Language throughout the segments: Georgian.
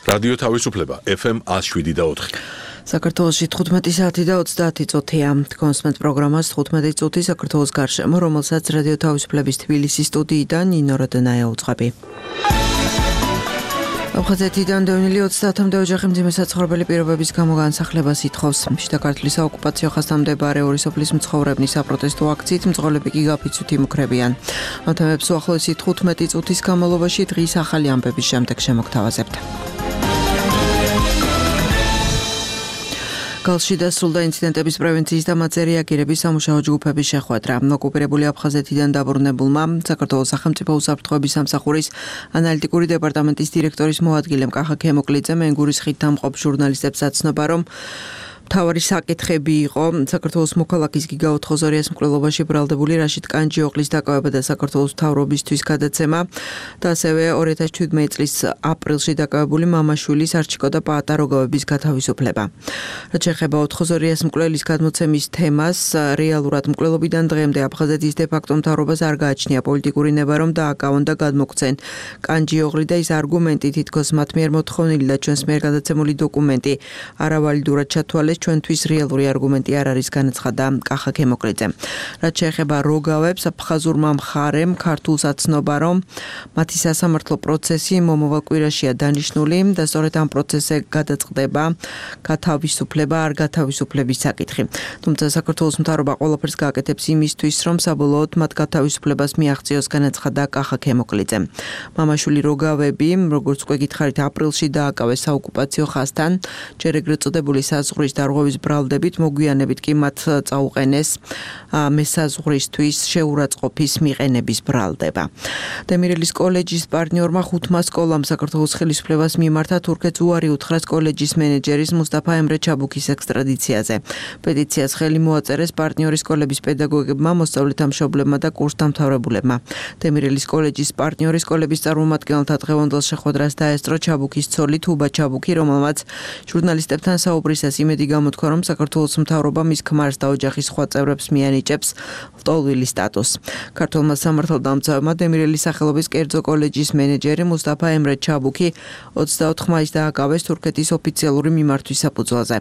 რადიო თავისუფლება FM 107.4. საქართველოში 15 საათი და 30 წუთია. კონსმენტ პროგრამას 15 წუთი საქართველოს გარშემო, რომელსაც რადიო თავისუფლების თბილისის სტუდიიდან ნინო როდნაია უძღვები. აფხაზეთიდან დევნილი 30-მდე ოჯახი მძიმე საცხოვრებელი პირობების გამო განსახლებას ითხოვს. შიდა ქართლის საოკუპაციო ხაზთან მდებარე ორი სოფლის მცხოვრებლის საპროტესტო აქციით მძღოლები კი გაფიცვით იმუქრებიან. ამ თემებს უახლოესი 15 წუთის განმავლობაში დღის ახალი ამბების შემდეგ შემოგთავაზებთ. გალში დასრულდა ინციდენტების პრევენციის და მათზე რეაგირების სამუშაო ჯგუფების შეხვედრა. ოკუპირებული აფხაზეთიდან დაბრუნებულმა საქართველოს სახელმწიფო უსაფრთხოების სამსახურის ანალიტიკური დეპარტამენტის დირექტორის მოადგილემ კახა ქემოკლიძე მენგურის ხიდ დამყოფ ჟურნალისტებს აცნობა, რომ მთავარი საკითხები იყო საქართველოს მოქალაქის გიგა 420-ის მკვლელობაში ბრალდებული რაშიდ კანჯიოღლის დაკავება და საქართველოს მთავრობისთვის გადაცემა და ასევე 2017 წლის აპრილში დაკავებული მამაშვილის არჩიკო და პაატა როგავების გათავისუფლება. რაც შეეხება 420-ის მკვლელის გადმოცემის თემას, რეალურად მკვლელობიდან დღემდე აფხაზეთის დე-ფაქტო მთავრობას არ გააჩნია პოლიტიკური ნება, რომ დააკავონ და გადმოგვცენ კანჯიოღლი და ის არგუმენტი, თითქოს მათ მიერ მოთხოვნილი და ჩვენს მიერ გადაცემული დოკუმენტი არავალიდურად ჩათვალეს, ჩვენთვის რეალური არგუმენტი არ არის, განაცხადა კახა ქემოკლიძე. რაც შეეხება როგავებს, აფხაზურმა მხარემ ქართულს აცნობა, რომ მათი სასამართლო პროცესი მომავალ კვირაშია დანიშნული და სწორედ ამ პროცესზე გადაწყდება გათავისუფლება არ გათავისუფლების საკითხი. თუმცა საქართველოს მთავრობა ყველაფერს გააკეთებს იმისთვის, რომ საბოლოოდ მათ გათავისუფლებას მიაღწიოს, განაცხადა კახა ქემოკლიძე. მამაშვილი როგავები, როგორც უკვე გითხარით, აპრილში დააკავეს საოკუპაციო ხაზთან, ჯერ ეგრეთ წოდებული საზღვრის დარღვევის ბრალდებით, მოგვიანებით კი მათ წაუყენეს მესაზღვრისთვის შეურაცხყოფის მიყენების ბრალდება. დემირელის კოლეჯის პარტნიორმა 5 სკოლამ საქართველოს ხელისუფლებას მიმართა თურქეთს უარი უთხრას კოლეჯის მენეჯერის მუსტაფა ემრე ჩაბუქის ექსტრადიციაზე. პეტიციას ხელი მოაწერეს პარტნიორის სკოლების პედაგოგებმა, მოსწავლეთა მშობლებმა და კურსდამთავრებულებმა. დემირელის კოლეჯის პარტნიორის სკოლების წარმომადგენელთა დღევანდელ შეხვედრას დაესწრო ჩაბუქის ცოლი თუბა ჩაბუქი, რომელმაც ჟურნალისტებთან საუბრისას იმედი გამოთქვა, რომ საქართველოს მთავრობა მის ქმარს და ოჯახის სხვა წევრებს მიანიჭებს ლტოლვილი სტატუსს. ქართულმა სამართალდამცავებმა დემირელის სახელობის კერძო კოლეჯის მენეჯერი მუსტაფა ემრე ჩაბუქი 24 მაისს დააკავეს თურქეთის ოფიციალური მიმართვის საფუძველზე.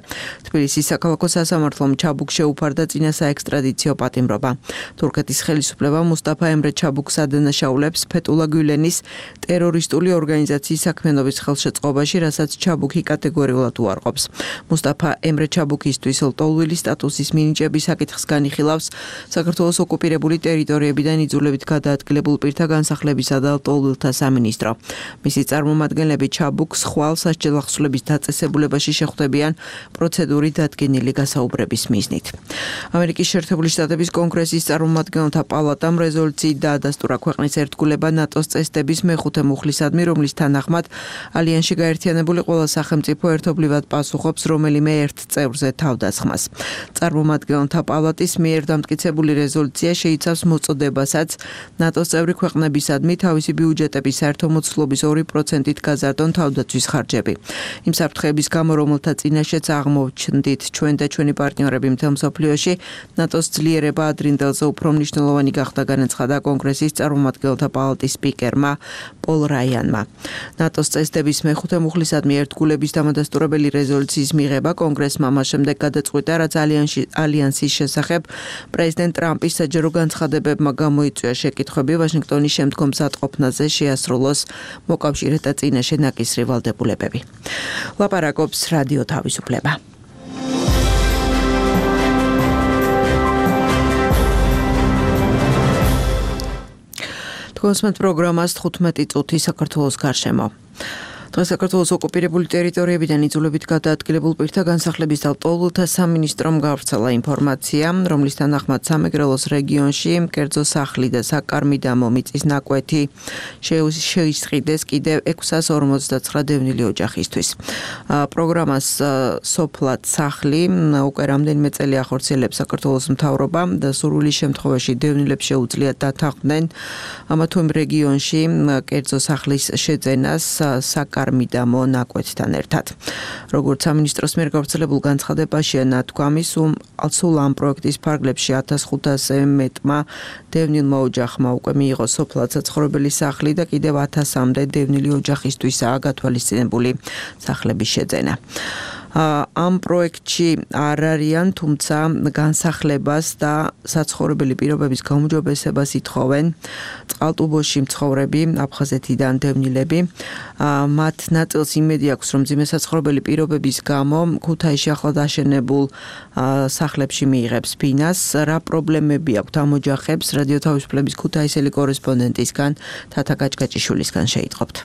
თბილისის საქალაქო სასამართლომ ჩაბუქს შეუფარდა წინა საექსტრადიციო პატიმრობა. თურქეთის ხელისუფლება მუსტაფა ემრე ჩაბუქს ადანაშაულებს ფეტულა გულენის ტერორისტული ორგანიზაციის საქმიანობის ხელშეწყობაში, რასაც ჩაბუქი კატეგორიულად უარყოფს. მუსტაფა ემრე ჩაბუქისთვის ლტოლვილი სტატუსის მინიჭების საკითხს განიხილავს საქართველოს ოკუპირებული ტერიტორიებიდან იძულებით გადაადგილებულ პირთა განსახლებისა და ლტოლვილთა სამინისტრო. მისი წარმომადგენლები ჩაბუქს ხვალ სასჯელ ახსნების დაწესებულებაში შეხვდებიან პროცედური დადგენილი გასაუბრების მიზნით. ამერიკის შეერთებული შტატების კონგრესის წარმომადგენელთა პალატამ რეზოლუციით დაადასტურა ქვეყნის ერთგულება ნატოს წესდების მეხუთე მუხლისადმი, რომლის თანახმად ალიანსში გაერთიანებული ყველა სახელმწიფო ერთობლივად პასუხობს რომელიმე ერთ წევრზე თავდასხმას. წარმომადგენელთა პალატის მიერ დამტკიცებული რეზოლუცია შეიცავს მოწოდებასაც ნატოს წევრი ქვეყნებისადმი თავისი ბიუჯეტების საერთო მოცულობის 2%-ით გაზარდონ თავდაცვის ხარჯები. იმ საფრთხეების გამო, რომელთა წინაშეც აღმოვჩნდით ჩვენ და ჩვენი პარტნიორები მთელ მსოფლიოში, ნატოს ძლიერება ადრინდელზე უფრო მნიშვნელოვანი გახდა, განაცხადა კონგრესის წარმომადგენელთა პალატის სპიკერმა პოლ რაიანმა. ნატოს წესდების მეხუთე მუხლისადმი ერთგულების დამადასტურებელი რეზოლუციის მიღება კონგრესმა მას შემდეგ გადაწყვიტა, რაც ალიანსის შესახებ პრეზიდენტ ტრამპის საჯარო განცხადებებმა გამოიწვია შეკითხვები ვაშინგტონის შემდგომ მზადყოფნაზე შეასრულოს მოკავშირეთა წინაშე ნაკისრი ვალდებულებები. ლაპარაკობს რადიო თავისუფლება. კონსმენტ პროგრამას 15 წუთი საქართველოს გარშემო. დღეს საქართველოს ოკუპირებული ტერიტორიებიდან იძულებით გადაადგილებულ პირთა განსახლების და ლტოლვილთა სამინისტრომ გავრცელა ინფორმაცია, რომლის თანახმად სამეგრელოს რეგიონში კერძო სახლი და საკარმიდამო მიწის ნაკვეთი შეისყიდეს კიდევ 659 დევნილი ოჯახისთვის. პროგრამას სოფლად სახლი უკვე რამდენიმე წელი ახორციელებს საქართველოს მთავრობა და სურვილის შემთხვევაში დევნილებს შეუძლიათ დათანხმდნენ ამა თუ იმ რეგიონში კერძო სახლის შეძენას კარმიდამო ნაკვეთთან ერთად. როგორც სამინისტროს მიერ გავრცელებულ განცხადებაშია ნათქვამი, სულ ამ პროექტის ფარგლებში 1500-ზე მეტმა დევნილმა ოჯახმა უკვე მიიღო სოფლად საცხოვრებელი სახლი და კიდევ 1000-მდე დევნილი ოჯახისთვისაა გათვალისწინებული სახლების შეძენა. ამ პროექტში არ არიან, თუმცა განსახლებას და საცხოვრებელი პირობების გაუმჯობესებას ითხოვენ წყალტუბოში მცხოვრები აფხაზეთიდან დევნილები. მათ ნაწილს იმედი აქვს, რომ მძიმე საცხოვრებელი პირობების გამო ქუთაისში ახლად აშენებულ სახლებში მიიღებს ფინანს. რა პრობლემები აქვთ ამ ოჯახებს? რადიო თავისუფლების ქუთაისელი კორესპონდენტისგან თათა გაჭგაჭიშვილისგან შეიტყობთ.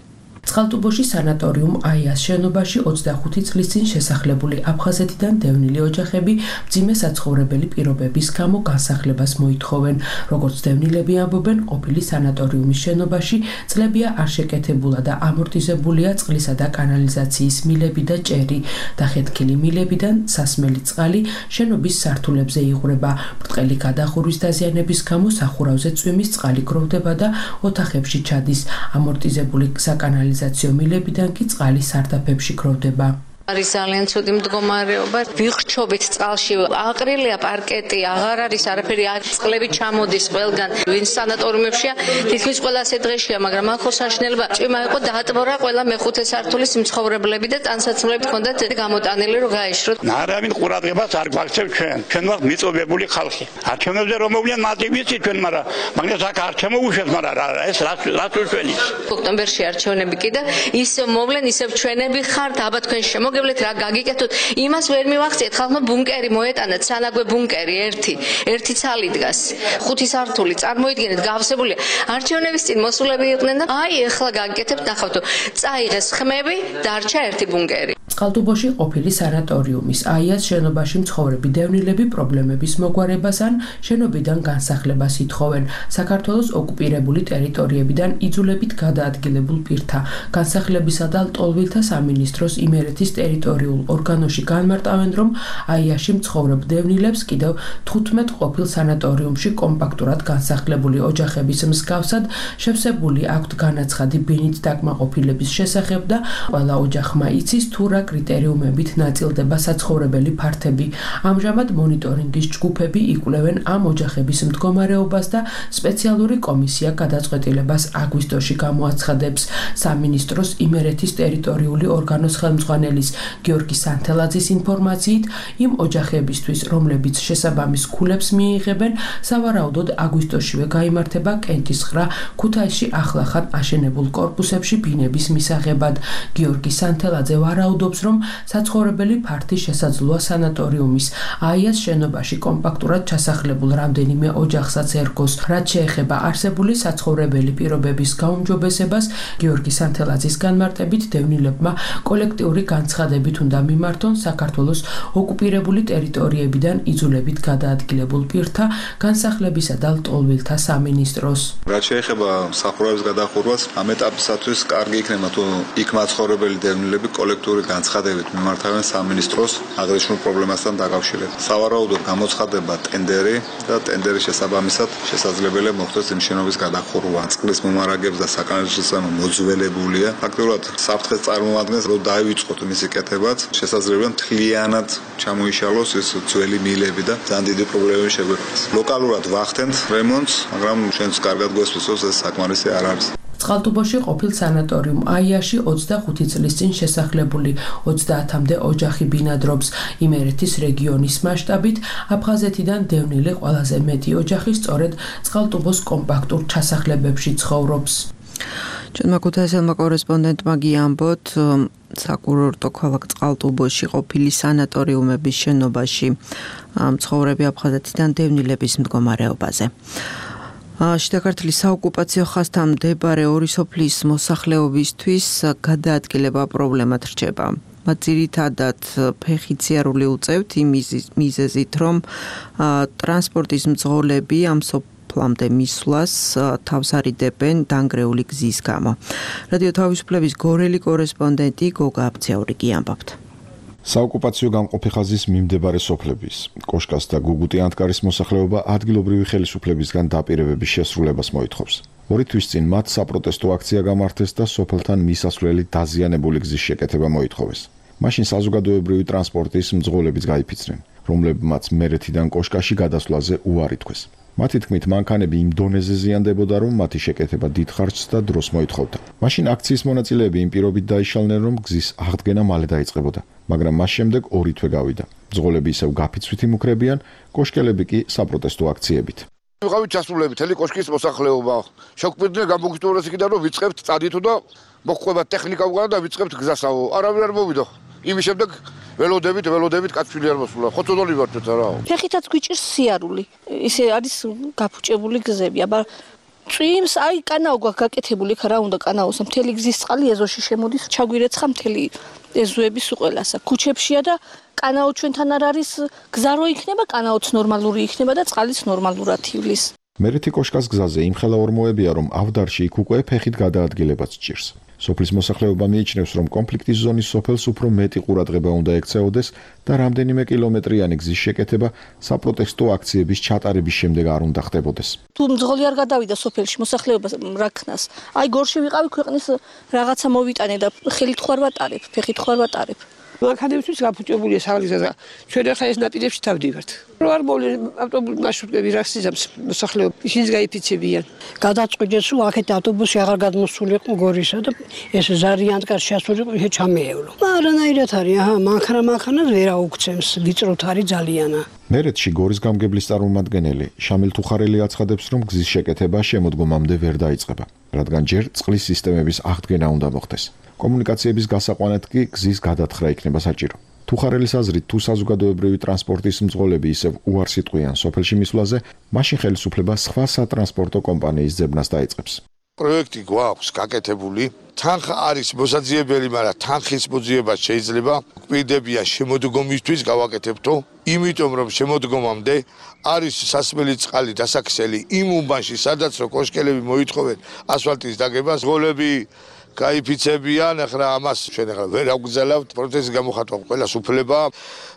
წყალტუბოში სანატორიუმ აიას შენობაში 25 წლის წინ შესახლებული აფხაზეთიდან დევნილი ოჯახები მძიმე საცხოვრებელი პირობების გამო განსახლებას მოითხოვენ. როგორც დევნილები ამბობენ, ყოფილი სანატორიუმის შენობაში წლებია არ შეკეთებულა და ამორტიზებულია წყლისა და კანალიზაციის მილები და ჭერი. დახეთქილი მილებიდან სასმელი წყალი შენობის სართულებზე იღვრება. ბრტყელი გადახურვის დაზიანების გამო სახურავზე წვიმის წყალი გროვდება და ოთახებში ჩადის. ამორტიზებული საკანალიზაციო მილებიდან კი წყალი სარდაფებში გროვდება. არის ძალიან ცუდი მდგომარეობა. ვიხრჩობით წყალში, აყრილია პარკეტი, აღარ არის არაფერი, წყლები ჩამოდის ყველგან. ვინც სანატორიუმებშია, თითქმის ყველა ასეთ დღეშია, მაგრამ ახოს საშინელება ჭიმა იყო, დაატბორა ყველა მეხუთე სართულის მცხოვრებლები და ტანსაცმლები ჰქონდათ გამოტანილი, რომ გაეშროთ. არავინ ყურადღებას არ გვაქცევ ჩვენ. ჩვენ ვართ მიწობებული ხალხი. არჩევნებზე რომ მოვლიან მარტივ ვიცით ჩვენ, მაგრამ აქ არ შემოუშვეს, მაგრამ ეს რაც უშველის. ოქტომბერში არჩევნები კი და ისევ მოვლენ, ისევ ჩვენები ხართ, აბა თქვენ მოგებლეთ რა გაგიკეთოთ, იმას ვერ მივახციეთ, ხალხმა ბუნკერი მოეტანათ, სანაგვე ბუნკერი ერთი ცალი დგას, 5 სართული, წარმოიდგინეთ, გავსებულია. არჩევნების წინ მოსულები იყვნენ და აი ეხლა გაგიკეთებთ, ნახავთ, წაიღეს ხმები, დარჩა ერთი ბუნკერი. წყალტუბოში ყოფილი სანატორიუმის აიას შენობაში მცხოვრები დევნილები პრობლემების მოგვარებას ან შენობიდან განსახლებას ითხოვენ. საქართველოს ოკუპირებული ტერიტორიებიდან იძულებით გადაადგილებულ პირთა განსახლებისა და ლტოლვილთა სამინისტროს იმერეთის ტერიტორიულ ორგანოში განმარტავენ, რომ აიაში მცხოვრებ დევნილებს კიდევ 15 ყოფილ სანატორიუმში კომპაქტურად განსახლებული ოჯახების მსგავსად შევსებული აქვთ განაცხადი ბინით დაკმაყოფილების შესახებ და ყველა ოჯახმა იცის თუ რა კრიტერიუმებით ნაწილდება საცხოვრებელი ფართები. ამჟამად მონიტორინგის ჯგუფები იკვლევენ ამ ოჯახების მდგომარეობას და სპეციალური კომისია გადაწყვეტილებას აგვისტოში გამოაცხადებს. სამინისტროს იმერეთის ტერიტორიული ორგანოს ხელმძღვანელის გიორგი სანთელაძის ინფორმაციით, იმ ოჯახებისთვის, რომლებიც შესაბამის ქულებს მიიღებენ, სავარაუდოდ აგვისტოშივე გაიმართება კენტისხრა ქუთაისში ახლახან აშენებულ კორპუსებში ბინების მისაღებად. გიორგი სანთელაძე ვარაუდობს, რომ საცხოვრებელი ფართი შესაძლოა სანატორიუმის აიას შენობაში კომპაქტურად ჩასახლებულ რამდენიმე ოჯახსაც ერგოს. რაც შეეხება არსებული საცხოვრებელი პირობების გაუმჯობესებას, გიორგი სანთელაძის განმარტებით დევნილებმა კოლექტიური განცხადებით უნდა მიმართონ საქართველოს ოკუპირებული ტერიტორიებიდან იძულებით გადაადგილებულ პირთა განსახლებისა და ლტოლვილთა სამინისტროს. რაც შეეხება სახურავების გადახურვას, ამ ეტაპისათვის კარგი იქნება თუ იქ მაცხოვრებელი დევნილები კოლექტიური განცხადებით მიმართავენ სამინისტროს აღნიშნულ პრობლემასთან დაკავშირებით. სავარაუდოდ გამოცხადება ტენდერი და ტენდერის შესაბამისად შესაძლებელია მოხდეს იმ შენობის გადახურვა. წყლის მომარაგებს და საკანალიზაციო მოძველებულია. ფაქტობრივად საფრთხეს წარმოადგენს, რომ დაივიწყოთ მისი კეთებაც, შესაძლებელია მთლიანად ჩამოიშალოს ეს ძველი მილები და ძალიან დიდი პრობლემები შეგვეყოს. ლოკალურად ვახდენთ რემონტს, მაგრამ ჩვენც კარგად გვესწრებს, ეს საკმარისი არ არის. წყალტუბოში ყოფილ სანატორიუმ აიაში 25 წლის წინ შესახლებული 30-მდე ოჯახი ბინადრობს. იმერეთის რეგიონის მასშტაბით აფხაზეთიდან დევნილი ყველაზე მეტი ოჯახი სწორედ წყალტუბოს კომპაქტურ ჩასახლებებში ცხოვრობს. ჩვენმა ქუთაისელმა კორესპონდენტმა გიამბოთ, საკურორტო ქალაქ წყალტუბოში ყოფილი სანატორიუმების შენობაში მცხოვრები აფხაზეთიდან დევნილების მდგომარეობაზე. შიდა ქართლის საოკუპაციო ხაზთან მდებარე ორი სოფლის მოსახლეობისთვის გადაადგილება პრობლემად რჩება. მათ ძირითადად ფეხიციარული უწევთ იმ მიზეზით, რომ ტრანსპორტის მძღოლები ამ სოფლამდე მისვლას თავს არიდებენ დანგრეული გზის გამო. რადიო თავისუფლების გორელი კორესპონდენტი გოგა აბცაური გიამბობთ. საოკუპაციო გამყოფი ხაზის მიმდებარე სოფლების, კოშკას და გუგუტი ანტკარის მოსახლეობა ადგილობრივი ხელისუფლებისგან დაპირებების შესრულებას მოითხოვს. 2 თვის წინ მათ საპროტესტო აქცია გამართეს და სოფელთან მისასვლელი დაზიანებული გზის შეკეთება მოითხოვეს. მაშინ საზოგადოებრივი ტრანსპორტის მძღოლებიც გაიფიცნენ, რომლებმაც მერეთიდან კოშკაში გადასვლაზე უარი თქვეს. მათი თქმით, მანქანები იმ დონეზე ზიანდებოდა, რომ მათი შეკეთება დიდ ხარჯს და დროს მოითხოვდა. მაშინ აქციის მონაწილეები იმ პირობით დაიშალნენ, რომ გზის აღდგენა მალე დაიწყებოდა, მაგრამ მას შემდეგ 2 თვე გავიდა. მძღოლები ისევ გაფიცვით იმუქრებიან, კოშკელები კი საპროტესტო აქციებით. ვიყავით ჩასულები თელი კოშკის მოსახლეობა. შევკვირდნენ გამოგიტურეს იქიდან რომ ვიწყებთ წადითო და მოხდება ტექნიკა უკან და ვიწყებთ გზასავო. არავინ არ მოვიდა. იმის შემდეგ ველოდებით კაცვილი არ მოსულა. ხოცოდოლი ვართ რა. ფეხითაც გვიჭირს სიარული. ისე არის გაფუჭებული გზები, აბა წვიმს აი კანაო გაკეთებული ხა რა უნდა კანაოს მთელი გზის წყალი ეზოში შემოდის, ჩაგვირეცხა მთელი ეზოების უყველასა. ქუჩებშია და კანაო ჩვენთან არ არის, გზა რო იქნება, კანაოც ნორმალური იქნება და წყალიც ნორმალურად ივლის. მერეთი კოშკას გზაზე იმხელა ორმოებია, რომ ავდარში იქ უკვე ფეხით გადაადგილებაც ჭირს. სოფლის მოსახლეობა მიიჩნევს, რომ კონფლიქტის ზონის სოფელს უფრო მეტი ყურადღება უნდა ექცეოდეს და რამდენიმე კილომეტრიანი გზის შეკეთება საპროტესტო აქციების ჩატარების შემდეგ არ უნდა ხდებოდეს. თუ მძღოლი არ გადავიდა სოფელში მოსახლეობას რაქნას, აი გორში ვიყავი ქვეყნის რაღაცა მოვიტანე და ხელით ხوار ვატარებ, ფეხით ხوار ვატარებ. მანქანებისთვის გაფუჭებულია საგზაზე. ჩვენ ახლა ეს ნაპირებში თავდივართ. რო არ მოვლენ ავტობუს მარშრუტები რას იზამს მოსახლეობა, ისინიც გაიფიცებიან. გადაწყვიტეს, რომ აქეთ ავტობუსი აღარ გადმოსულიყო გორისა და ეს ზარიანტკარში ასულიყო, ისე ჩამეევლო. არანაირად არის, მანქანას ვერ აუქცემს, ვიწროთ არის ძალიანა. მერეთში გორის გამგებლის წარმომადგენელი შამილ თუხარელი აცხადებს, რომ გზის შეკეთება შემოდგომამდე ვერ დაიწყება, რადგან ჯერ წყლის სისტემების აღდგენა უნდა მოხდეს. კომუნიკაციების გასაყვანად კი გზის გადათხრა იქნება საჭირო. თუხარელის აზრით, თუ საზოგადოებრივი ტრანსპორტის მძღოლები ისევ უარს იტყვიან სოფელში მისვლაზე, მაშინ ხელისუფლება სხვა სატრანსპორტო კომპანიის ძებნას დაიწყებს. პროექტი გვაქვს გაკეთებული, თანხა არის მოსაძიებელი, მაგრამ თანხის მოძიება შეიძლება გვპირდებია შემოდგომისთვის გავაკეთებთო, იმიტომ რომ შემოდგომამდე არის სასმელი წყალი დასაქსელი იმ უბანში, სადაც რო კოშკელები მოითხოვენ ასფალტის დაგებას, მძღოლები გაიფიცებიან, ახლა ამას ჩვენ ახლა ვერ აგვგზავნებთ, პროცესის გამოხატვა ყველას უფლება.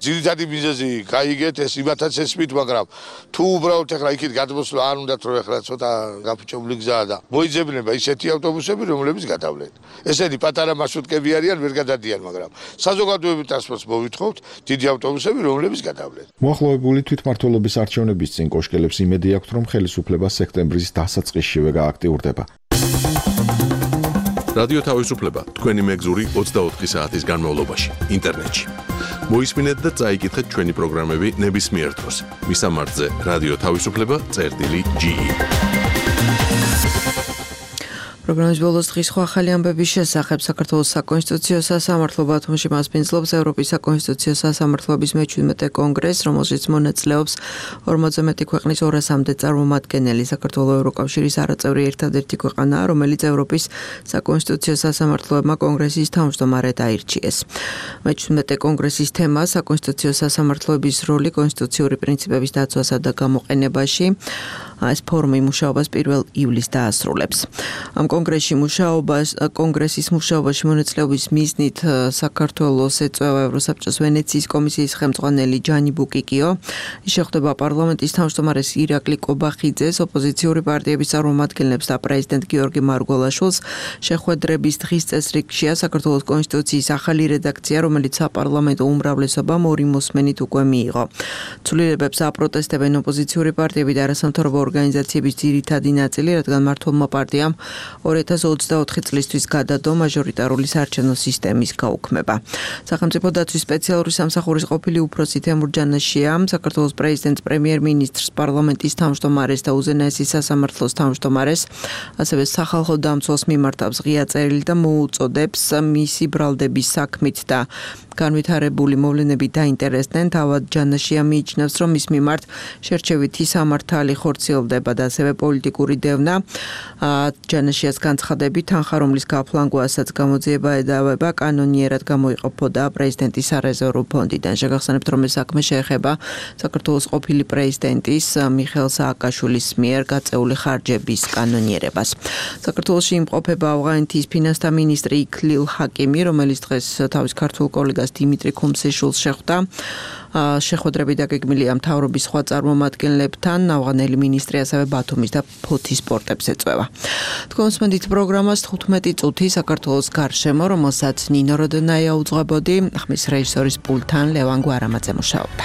ძირითადი მიზეზი გაიგეთ, ეს იმათაც ესმით, მაგრამ თუ უბრალოდ ახლა იქით გადმოსვლა არ უნდათ, რომ ახლა ცოტა გაფუჭებული გზაა და მოიძებნება ისეთი ავტობუსები, რომლებიც გადავლენ. ესენი პატარა მარშრუტკები არიან, ვერ გადადიან, მაგრამ საზოგადოებრივ ტრანსპორტს მოვითხოვთ დიდი ავტობუსები, რომლებიც გადავლენ. მოახლოებული თვითმმართველობის არჩევნების წინ კოშკელებს იმედი აქვთ, რომ ხელისუფლება სექტემბრის დასაწყისშივე გააქტიურდება. რადიო თავისუფლება თქვენი მეგზური 24 საათის განმავლობაში ინტერნეტში. მოისმინეთ და წაიკითხეთ ჩვენი პროგრამები ნებისმიერ დროს. მისამართზე რადიო თავისუფლება.ge. პროგრამის ბოლოს დღის სხვა ახალი ამბების შესახებ საქართველოს საკონსტიტუციო სასამართლო ბათუმში მასპინძლობს ევროპის საკონსტიტუციო სასამართლოების მე-17 კონგრესს, რომელშიც მონაწილეობს 40-ზე მეტი ქვეყნის 200-მდე წარმომადგენელი. საქართველოს ევროკავშირის არაწევრი ერთადერთი ქვეყანაა, რომელიც ევროპის საკონსტიტუციო სასამართლოებმა კონგრესის თავმჯდომარედ აირჩიეს. მე-17 კონგრესის თემა საკონსტიტუციო სასამართლოების როლი კონსტიტუციური პრინციპების დაცვასა და გამოყენებაში. ეს ფორუმი მუშაობას 1 ივლისს დაასრულებს. ამ კონგრესის მუშაობაში მონაწილეობის მიზნით საქართველოს ეწევა ევროსაბჭოს ვენეციის კომისიის ხელმძღვანელი ჯანი ბუკიკიო. ის შეხვდება პარლამენტის თავმჯდომარეს ირაკლი კობახიძეს, ოპოზიციური პარტიების წარმომადგენლებს და პრეზიდენტ გიორგი მარგველაშვილს. შეხვედრების დღის წესრიგშია საქართველოს კონსტიტუციის ახალი რედაქცია, რომელიც საპარლამენტო უმრავლესობამ 2 მოსმენით უკვე მიიღო. ცვლილებებს აპროტესტებენ ოპოზიციური პარტიები და არასამთავრობო ორგანიზაციების ძირითადი ნაწილი, რადგან მმართველმა პარტიამ 2024 წლისთვის გადადო მაჟორიტარული საარჩევნო სისტემის გაუქმება. სახელმწიფო დაცვის სპეციალური სამსახურის ყოფილი უფროსი თემურ ჯანაშია საქართველოს პრეზიდენტს, პრემიერ-მინისტრს, პარლამენტის თავმჯდომარეს და უზენაესის სასამართლოს თავმჯდომარეს, ასევე სახალხო დამცველს მიმართავს ღია წერილი და მოუწოდებს მისი ბრალდების საქმით და განვითარებული მოვლენები დაინტერესდნენ. თავად ჯანაშია მიიჩნევს, რომ მის მიმართ შერჩევითი სამართალი ხორციელდება და ასევე პოლიტიკური დევნა. ჯანაშიას განცხადებით, თანხა, რომლის გაფლანგვასაც გამოძიება ედავება, კანონიერად გამოიყოფოდა პრეზიდენტის სარეზერვო ფონდიდან. შეგახსენებთ, რომ ეს საქმე შეეხება საქართველოს ყოფილი პრეზიდენტის მიხეილ სააკაშვილის მიერ გაწეული ხარჯების კანონიერებას. საქართველოში იმყოფება ავღანეთის ფინანსთა მინისტრი იქლილ ჰაკიმი, რომელიც დღეს თავის ქართულ კოლეგას ministras Dimitri Komseshuls შეხვდა. შეხვედრები დაგეგმილია მთავრობის სხვა წარმომადგენლებთან, ავღანელი მინისტრი ასევე ბათუმის და ფოთის პორტებს ეწვევა. თქვენს მოდით პროგრამას 15 წუთი საქართველოს გარშემო, რომელსაც ნინო როდონაია უძღვებოდი, ხმის რეჟისორის პულტთან ლევან გვარამაძე მუშაობდა.